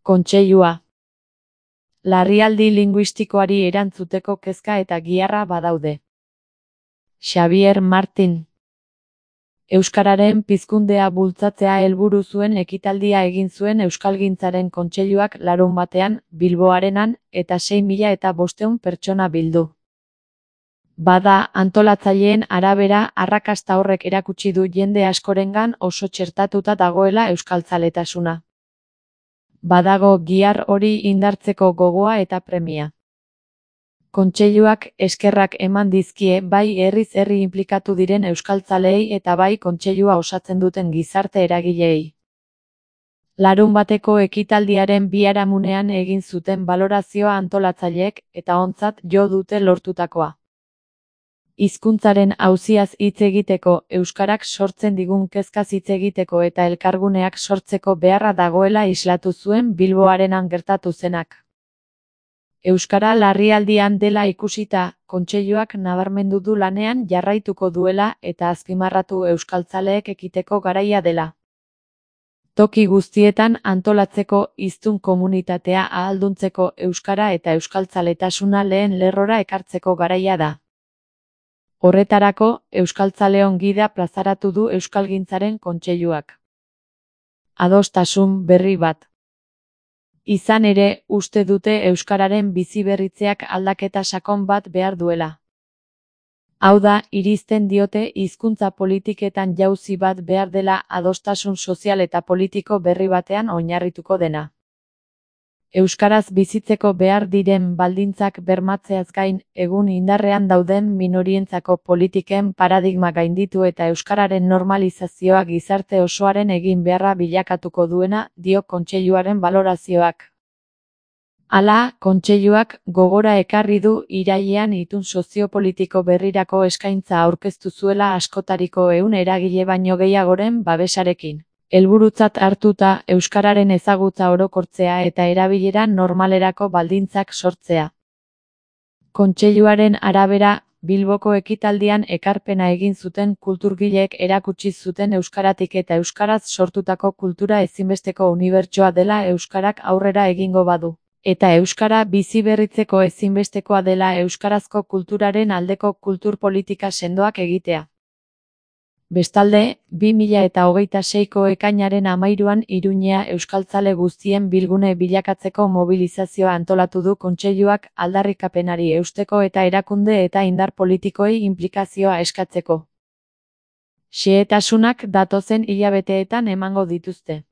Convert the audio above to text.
Kontseilua. Larrialdi linguistikoari erantzuteko kezka eta giharra badaude. Xabier Martin. Euskararen pizkundea bultzatzea helburu zuen ekitaldia egin zuen Euskalgintzaren Kontseiluak larunbatean, Bilbo Arenan, eta 6.500 pertsona bildu. Bada, antolatzaileen arabera, arrakasta horrek erakutsi du jende askorengan oso txertatuta dagoela euskaltzaletasuna. Badago gihar hori indartzeko gogoa eta premia. Kontseiluak eskerrak eman dizkie bai herriz herri inplikatu diren euskaltzaleei eta bai kontseilua osatzen duten gizarte eragileei. Larunbateko ekitaldiaren biharamunean egin zuten balorazioa antolatzaileek eta ontzat jo dute lortutakoa. Hizkuntzaren auziaz hitz egiteko, euskarak sortzen digun kezkaz hitz egiteko eta elkarguneak sortzeko beharra dagoela islatu zuen Bilbo Arenan gertatu zenak. Euskara larrialdian dela ikusita, kontseiluak nabarmendu du lanean jarraituko duela eta azpimarratu euskaltzaleek ekiteko garaia dela. Toki guztietan antolatzeko hiztun komunitatea ahalduntzeko euskara eta euskaltzaletasuna lehen lerrora ekartzeko garaia da. Horretarako, Euskaltzaleon gida plazaratu du Euskalgintzaren Kontseiluak. Adostasun berri bat. Izan ere, uste dute euskararen biziberritzeak aldaketa sakon bat behar duela. Hau da, irizten diote hizkuntza politiketan jauzi bat behar dela adostasun sozial eta politiko berri batean oinarrituko dena. Euskaraz bizitzeko behar diren baldintzak bermatzeaz gain, egun indarrean dauden minorientzako politiken paradigma gainditu eta euskararen normalizazioa gizarte osoaren egin beharra bilakatuko duena, dio kontseiluaren balorazioak. Hala, kontseiluak gogora ekarri du irailean itun soziopolitiko berrirako eskaintza aurkeztu zuela askotariko 100 eragile baino gehiagoren babesarekin. Helburutzat hartuta euskararen ezagutza orokortzea eta erabilera normalerako baldintzak sortzea. Kontseiluaren arabera, Bilboko ekitaldian ekarpena egin zuten kulturgileek erakutsi zuten euskaratik eta euskaraz sortutako kultura ezinbesteko unibertsoa dela euskarak aurrera egingo badu. Eta euskara biziberritzeko ezinbestekoa dela euskarazko kulturaren aldeko kultur politika sendoak egitea. Bestalde, 2026ko ekainaren 13an Iruñea euskaltzale guztien bilgune bilakatzeko mobilizazioa antolatu du kontseiluak aldarrikapenari eusteko eta erakunde eta indar politikoei inplikazioa eskatzeko. Xehetasunak datozen hilabeteetan emango dituzte.